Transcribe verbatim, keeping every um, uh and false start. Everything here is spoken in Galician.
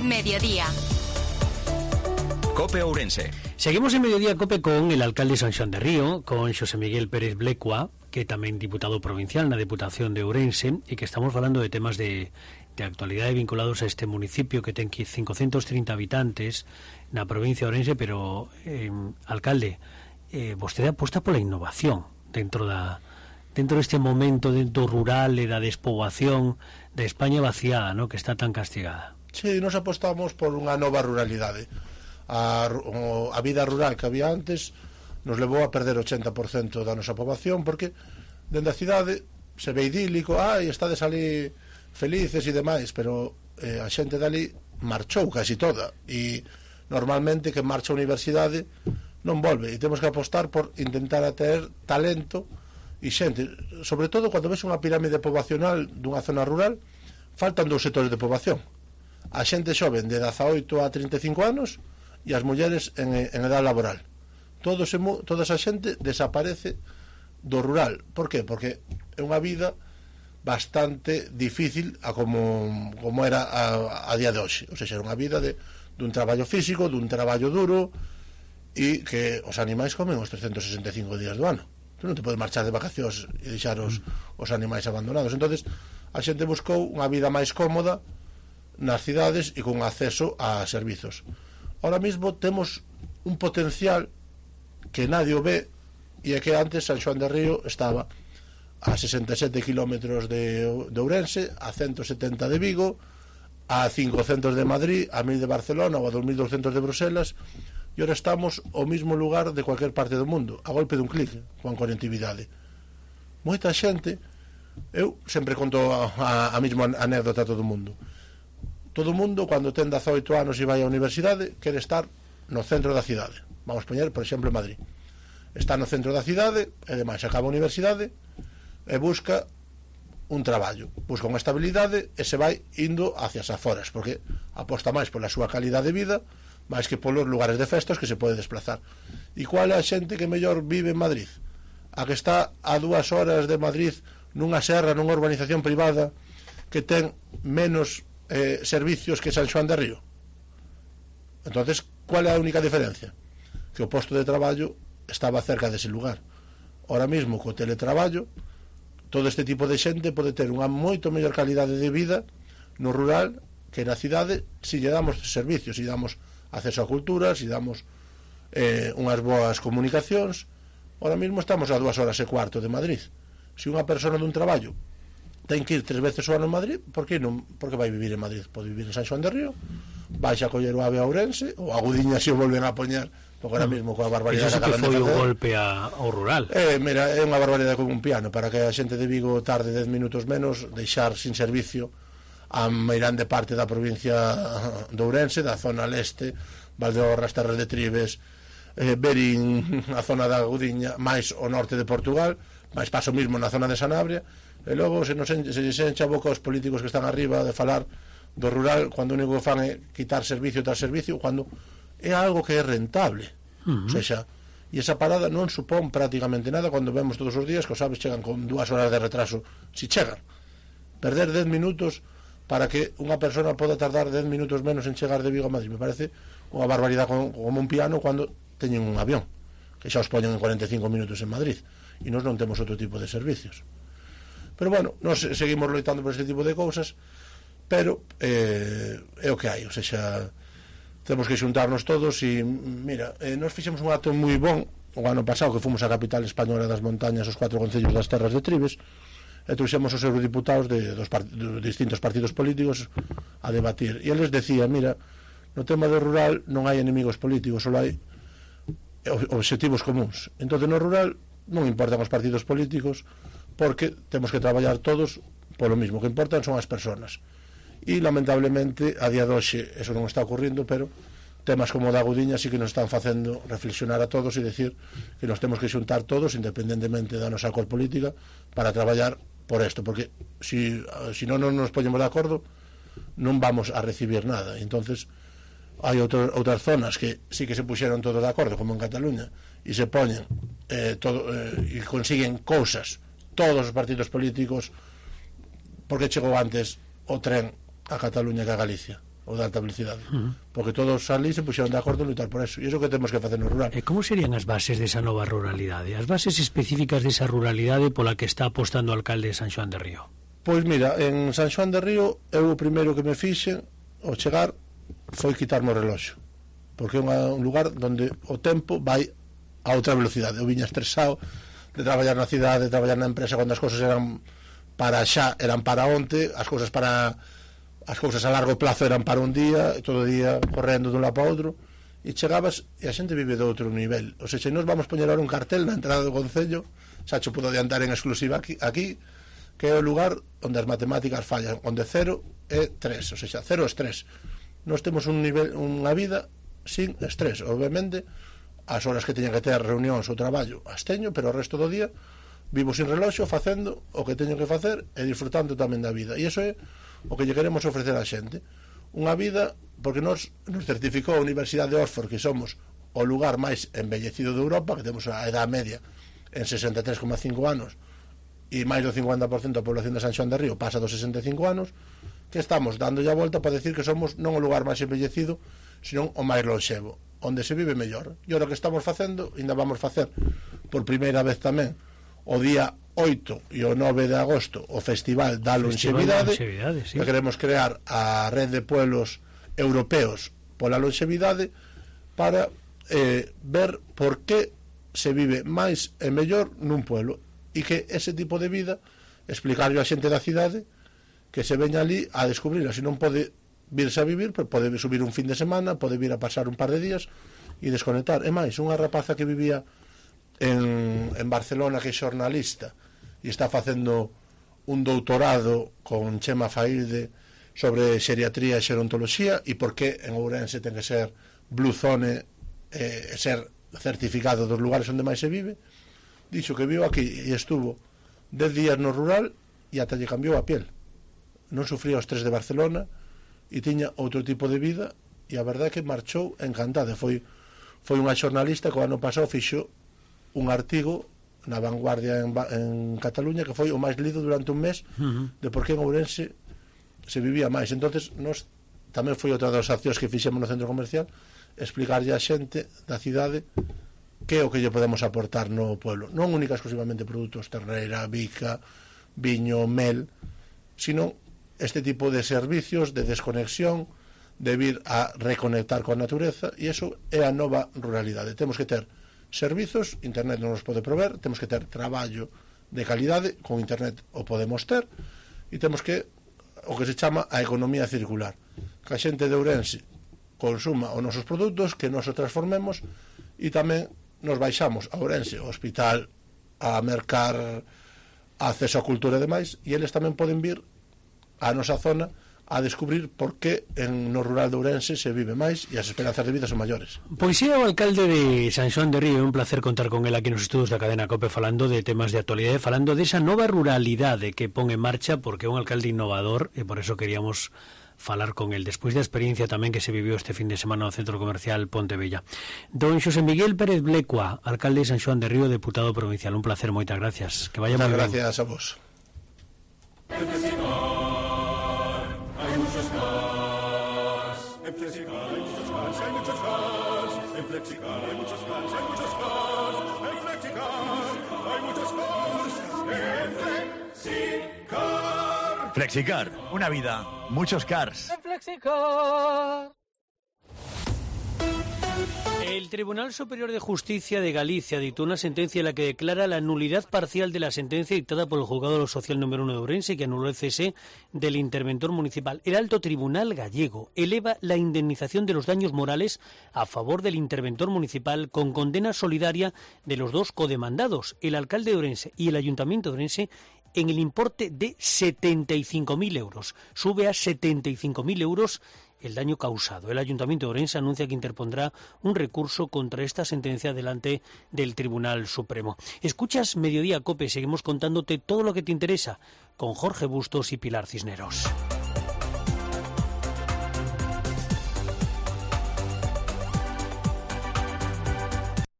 Mediodía. Cope Ourense. Seguimos en Mediodía Cope con el alcalde de San Xoán de Río, con Xosé Miguel Pérez Blecua, que tamén diputado provincial na Deputación de Ourense, e que estamos falando de temas de, de actualidade vinculados a este municipio que ten quinhentos trinta habitantes na provincia de Ourense, pero, eh, alcalde, eh, vostede aposta pola innovación dentro da dentro deste momento dentro rural e da despoboación da España vaciada, ¿no?, que está tan castigada. Sí, nos apostamos por unha nova ruralidade. A, a vida rural que había antes nos levou a perder o ochenta por cento da nosa poboación, porque dende a cidade se ve idílico, ai, estades ali felices e demais, pero eh, a xente dali marchou casi toda, e normalmente que marcha a universidade non volve, e temos que apostar por intentar atraer talento e xente, sobre todo cando ves unha pirámide poboacional dunha zona rural, faltan dous sectores de poboación: a xente xoven de dezaoito a trinta e cinco anos e as mulleres en, en edad laboral. Todo se, toda esa xente desaparece do rural. Por qué? Porque é unha vida bastante difícil a como, como era a, a día de hoxe. O sea, era unha vida de, dun traballo físico, dun traballo duro, e que os animais comen os trescentos sesenta e cinco días do ano. Tú non te podes marchar de vacacións e deixar os, os animais abandonados. Entonces a xente buscou unha vida máis cómoda nas cidades e con acceso a servizos. Ahora mismo temos un potencial que nadie o ve, e é que antes San Xoán de Río estaba a sesenta e sete kilómetros de, de Ourense, a ciento setenta de Vigo, a cincocentos de Madrid, a mil de Barcelona ou a dos mil doscientos de Bruselas, e ahora estamos ao mismo lugar de cualquier parte do mundo, a golpe dun clic, con conectividade. Moita xente, eu sempre conto a, a, a mesma anécdota a todo o mundo. Todo o mundo, cando ten dezaoito anos e vai á universidade, quere estar no centro da cidade. Vamos poñer, por exemplo, Madrid. Está no centro da cidade, e demais acaba a universidade e busca un traballo, busca unha estabilidade e se vai indo hacia as aforas, porque aposta máis pola súa calidade de vida máis que polos lugares de festas que se pode desplazar. E qual é a xente que mellor vive en Madrid? A que está a dúas horas de Madrid nunha serra, nunha urbanización privada que ten menos eh, servicios que San Xoán de Río. Entonces, cual é a única diferencia? Que o posto de traballo estaba cerca dese lugar. Ahora mismo, co teletraballo, todo este tipo de xente pode ter unha moito mellor calidade de vida no rural que na cidade, se lle damos servicios, se lle damos acceso a cultura, se lle damos eh, unhas boas comunicacións. Ahora mismo estamos a dúas horas e cuarto de Madrid. Se unha persona dun traballo ten que ir tres veces ao ano en Madrid, por que non? Porque vai vivir en Madrid, pode vivir en San Xoán de Río, vai a coller o ave a Ourense, ou a Gudiña se o volven a poñer, porque ahora mesmo coa barbaridade que acaban de facer. Iso foi un golpe a, ao rural. Eh, mira, é unha barbaridade con un piano, para que a xente de Vigo tarde dez minutos menos, deixar sin servicio a meirande parte da provincia de Ourense, da zona leste, Valdeorras, Terras de Tribes, eh, Berín, a zona da Gudiña, máis o norte de Portugal, máis paso mismo na zona de Sanabria. E logo se nos enche, se enche a boca os políticos que están arriba de falar do rural, cando o único que fan é quitar servicio tras servicio, cando é algo que é rentable. Uh-huh. O sea, e esa parada non supón prácticamente nada cando vemos todos os días que os aves chegan con dúas horas de retraso, si chegan. Perder dez minutos para que unha persona poda tardar dez minutos menos en chegar de Vigo a Madrid, me parece unha barbaridade como, como un piano cando teñen un avión que xa os poñen en cuarenta e cinco minutos en Madrid, e nós non temos outro tipo de servicios. Pero bueno, nós seguimos loitando por este tipo de cousas, pero eh, é o que hai, o sea, temos que xuntarnos todos. E mira, eh, nós fixemos un acto moi bon o ano pasado, que fomos a capital española das montañas, os cuatro concellos das Terras de Tribes, e trouxemos os eurodiputados de, dos part de distintos partidos políticos a debatir, e eles decían, mira, no tema do rural non hai enemigos políticos, só hai objetivos comuns. Entón no rural non importan os partidos políticos, porque temos que traballar todos polo mismo, que importan son as persoas. E lamentablemente a día de hoxe eso non está ocurrindo, pero temas como o da Gudiña sí que nos están facendo reflexionar a todos e decir que nos temos que xuntar todos, independentemente da nosa cor política, para traballar por isto, porque si, si non nos poñemos de acordo non vamos a recibir nada. Entonces hai outro, outras zonas que sí que se puxeron todos de acordo, como en Cataluña, e se poñen eh, todo, eh, e consiguen cousas todos os partidos políticos. Porque chegou antes o tren a Cataluña que a Galicia? o de alta velocidade, uh -huh. porque todos ali se puxeron de acordo en lutar por eso, e iso que temos que facer no rural. E como serían as bases desa nova ruralidade, as bases específicas desa ruralidade pola que está apostando o alcalde de San Xoán de Río? Pois mira, en San Xoán de Río eu o primeiro que me fixen ao chegar foi quitarme o reloxo, porque é un lugar onde o tempo vai a outra velocidade. Eu viña estresado de traballar na cidade, de traballar na empresa, cando as cousas eran para xa, eran para onte, as cousas para as cousas a largo plazo eran para un día, todo o día correndo dun lado para outro, e chegabas e a xente vive de outro nivel. O sea, se nos vamos poñer ahora un cartel na entrada do concello, xa cho puedo adiantar en exclusiva aquí, aquí que é o lugar onde as matemáticas fallan, onde cero é tres, o sea, cero é estrés. Nós temos un nivel, unha vida sin estrés, obviamente as horas que teñen que ter reunións ou traballo as teño, pero o resto do día vivo sin reloxo, facendo o que teño que facer e disfrutando tamén da vida, e iso é o que lle queremos ofrecer á xente, unha vida, porque nos, nos certificou a Universidade de Oxford que somos o lugar máis embellecido de Europa, que temos a edad media en sesenta e tres coma cinco anos e máis do cincuenta por cento da población de San Xoán de Río pasa dos sesenta e cinco anos, que estamos dando a volta para decir que somos non o lugar máis embellecido, sino o máis lonxevo, onde se vive mellor. E o que estamos facendo, ainda vamos facer por primeira vez tamén o día oito e o nove de agosto o Festival da Lonxevidade, sí. Que queremos crear a Rede de Pueblos Europeos pola Lonxevidade para eh, ver por que se vive máis e mellor nun pueblo, e que ese tipo de vida explicarlo a xente da cidade que se veña ali a descubrirla. Se non pode virse a vivir, pode subir un fin de semana, pode vir a pasar un par de días e desconectar. E máis, unha rapaza que vivía en, en Barcelona, que é xornalista e está facendo un doutorado con Chema Failde sobre xeriatría e xerontoloxía, e por que en Ourense ten que ser Blue Zone e eh, ser certificado dos lugares onde máis se vive. Dixo que viu aquí e estuvo dez días no rural e ata lle cambiou a piel, non sufría o estrés de Barcelona e tiña outro tipo de vida, e a verdade é que marchou encantada. Foi, foi unha xornalista que o ano pasado fixo un artigo na Vanguardia en, en Cataluña que foi o máis lido durante un mes uh-huh. de por que en Ourense se vivía máis. Entonces nos tamén foi outra das accións que fixemos no centro comercial, explicarlle a xente da cidade que é o que lle podemos aportar no pueblo, non única exclusivamente produtos terneira, bica, viño, mel, sino este tipo de servicios de desconexión, de vir a reconectar con a natureza, e iso é a nova ruralidade. Temos que ter servizos, internet non nos pode prover, temos que ter traballo de calidade, con internet o podemos ter, e temos que o que se chama a economía circular, que a xente de Ourense consuma os nosos produtos, que nos o transformemos, e tamén nos baixamos a Ourense, ao hospital, a mercar, a acceso á cultura e demais, e eles tamén poden vir a nosa zona a descubrir por que en no rural de Ourense se vive máis e as esperanzas de vida son maiores. Pois é o alcalde de San Xoán de Río, é un placer contar con el aquí nos estudos da cadena COPE falando de temas de actualidade, falando desa nova ruralidade que pon en marcha, porque é un alcalde innovador e por eso queríamos falar con el despois da experiencia tamén que se viviu este fin de semana no Centro Comercial Pontevella. Don Xosé Miguel Pérez Blecua, alcalde de San Xoán de Río, deputado provincial, un placer, moitas gracias. Que vaya moi ben. Moitas gracias a vos. Flexicar, una vida, muchos cars. Flexicar. El Tribunal Superior de Justicia de Galicia dictó una sentencia en la que declara la nulidad parcial de la sentencia dictada por el Juzgado de lo Social número uno de Ourense, que anuló el cese del interventor municipal. El Alto Tribunal gallego eleva la indemnización de los daños morales a favor del interventor municipal con condena solidaria de los dos codemandados, el alcalde de Ourense y el Ayuntamiento de Ourense, en el importe de setenta y cinco mil euros. Sube a setenta y cinco mil euros el daño causado. El Ayuntamiento de Ourense anuncia que interpondrá un recurso contra esta sentencia delante del Tribunal Supremo. Escuchas Mediodía COPE, seguimos contándote todo lo que te interesa con Jorge Bustos y Pilar Cisneros.